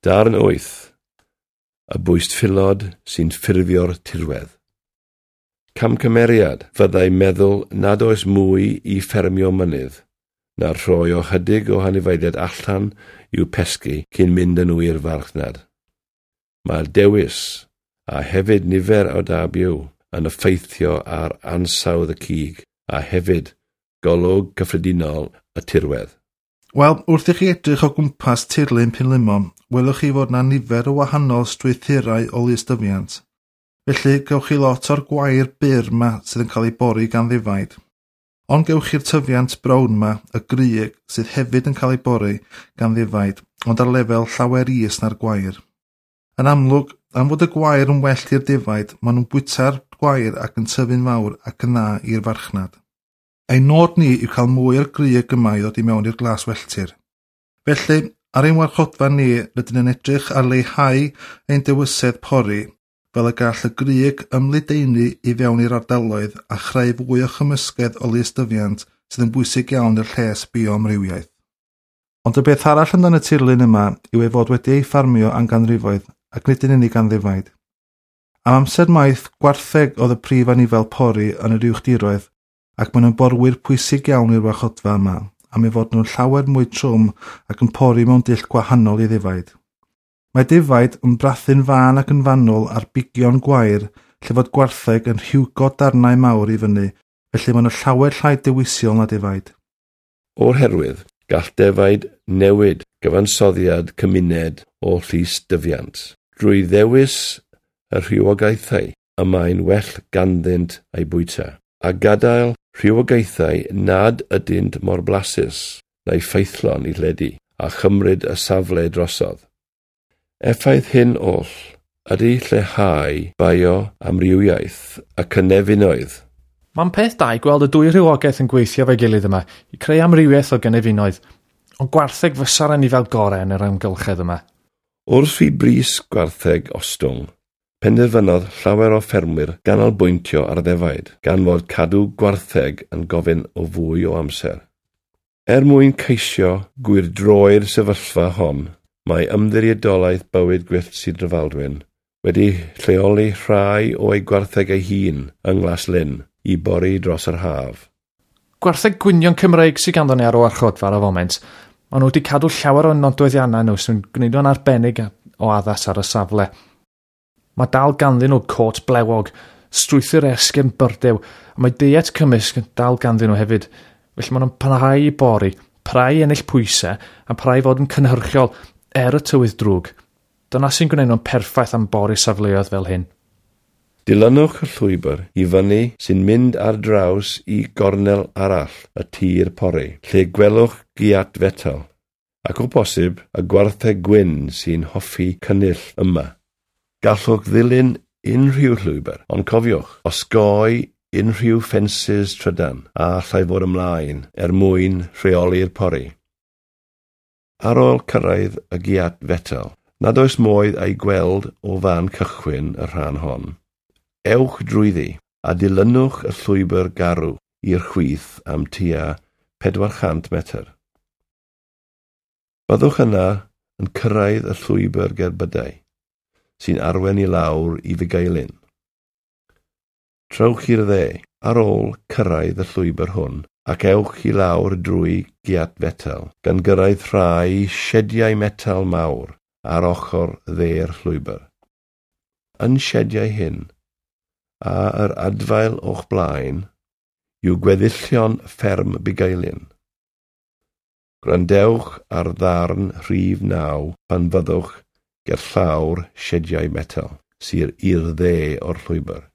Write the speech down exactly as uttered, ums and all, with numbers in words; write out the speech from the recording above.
Darn wyth. Y bwystfilod sy'n ffurfio'r tirwedd. Camgymeriad fyddai meddwl nad oes mwy i ffermio mynydd na rhoi o chydig o anifeiliaid allan i'w pesgi cyn mynd â nhw i'r farchnad. Mae'r dewis, a hefyd nifer o da byw, yn effeithio ar ansawdd y cig a hefyd golwg cyffredinol y tirwedd. Wel, wrth i chi edrych o gwmpas tirlun Pumlumon, welwch chi fod 'na nifer o wahanol strwythurau o lystyfiant. Felly, gewch chi lot o'r gwair byr 'ma sydd yn cael ei bori gan ddefaid. Ond gewch chi'r tyfiant brown 'ma, y grug, sydd hefyd yn cael ei bori gan ddefaid, ond ar lefel llawer is na'r gwair. Yn amlwg, am fod y gwair yn well i'r defaid, maen nhw'n bwyta'r gwair ac yn tyfu'n fawr ac yn dda i'r farchnad. Ein nod ni yw cael mwy o'r grug yma i ddod i mewn i'r glaswelltir. Felly, ar ein warchodfa ni, rydyn yn edrych ar leihau ein dewisedd pori fel y gall y grug ymledaenu i fewn i'r ardaloedd a chreu fwy o chymysgedd o lystyfiant sydd yn bwysig iawn i'r lles bioamrywiaeth. Ond y beth arall amdan y tirlun yma yw ei fod wedi ei ffarmio am ganrifoedd ac nid yn unig gan ddefaid. Am amser maith, gwartheg oedd y prif anifel pori yn yr uwchdiroedd ac maen nhw'n borwyr pwysig iawn i'r warchodfa yma, am ei fod nhw'n llawer mwy trwm ac yn pori mewn dull gwahanol i ddefaid. Mae defaid yn brathu'n fân ac yn fanwl ar bigion gwair lle fod gwartheg yn rhiwgo darnau mawr i fyny, felly maen nhw llawer llai dewisiol na defaid. O'r herwydd, gall defaid newid gyfansoddiad cymuned o lysdyfiant drwy ddewis y rhywogaethau y mae'n well ganddynt eu bwyta, a gadael rhywogaethau nad ydynt mor blasus neu ffeithlon i ledu a chymryd y safle drosodd. Effaith hyn oll ydy lleihau bioamrywiaeth y cynefinoedd. Mae'n peth da i gweld y dwy rhywogaeth yn gweithio efo'i gilydd yma i creu amrywiaeth o gynefinoedd, ond gwartheg fysa'r anifel gorau yn yr amgylchedd yma. Wrth i bris gwartheg ostwng, penderfynodd llawer o ffermwyr ganolbwyntio ar ddefaid, gan fod cadw gwartheg yn gofyn o fwy o amser. Er mwyn ceisio gwyrdroi'r sefyllfa hon, mae Ymddiriedolaeth Bywyd Gwyllt Sir Drefaldwyn wedi lleoli rhai o'i gwartheg ei hun yng Nglaslyn i bori dros yr haf. Gwartheg gwynion Cymreig sydd ganddo ni ar y warchodfa ar y foment. Maen nhw wedi cadw llawer o nodweddiannau nhw sy'n gwneud nhw'n arbennig o addas ar y safle. Mae dal ganddyn nhw cot blewog, strwythur esgyrn byrdew, a mae deiet cymysg yn dal ganddyn nhw hefyd. Felly maen nhw'n parhau i bori, parhau i ennill pwysau, a parhau i fod yn cynhyrchiol er y tywydd drwg. Dyna sy'n gwneud nhw'n perffaith am bori safleoedd fel hyn. Dilynwch y llwybr i fyny sy'n mynd ar draws i gornel arall y tir pori, lle gwelwch giat fetel, ac o bosib y gwartheg gwyn sy'n hoffi cynnull yma. Gallwch ddilyn unrhyw llwybr, ond cofiwch, osgoi unrhyw ffensys trydan a allai fod ymlaen er mwyn rheoli'r pori. Ar ôl cyrraedd y giat fetel, nad oes modd ei gweld o fan cychwyn y rhan hon. Ewch drwyddi a dilynwch y llwybr garw i'r chwith am tua pedwar cant metr. Byddwch yna yn cyrraedd y llwybr gerbydau, sy'n arwain i lawr i Fugeilyn. Trowch i'r dde ar ôl cyrraedd y llwybr hwn ac ewch i lawr drwy giat fetel, gan gyrraedd rhai siediau metel mawr ar ochr dde'r llwybr. Yn siediau hyn, a yr adfail o'ch blaen, yw gweddillion fferm Bugeilyn. Gwrandewch ar ddarn rhif naw pan fyddwch ger llawr siediau metel, sydd i'r dde o'r llwybr.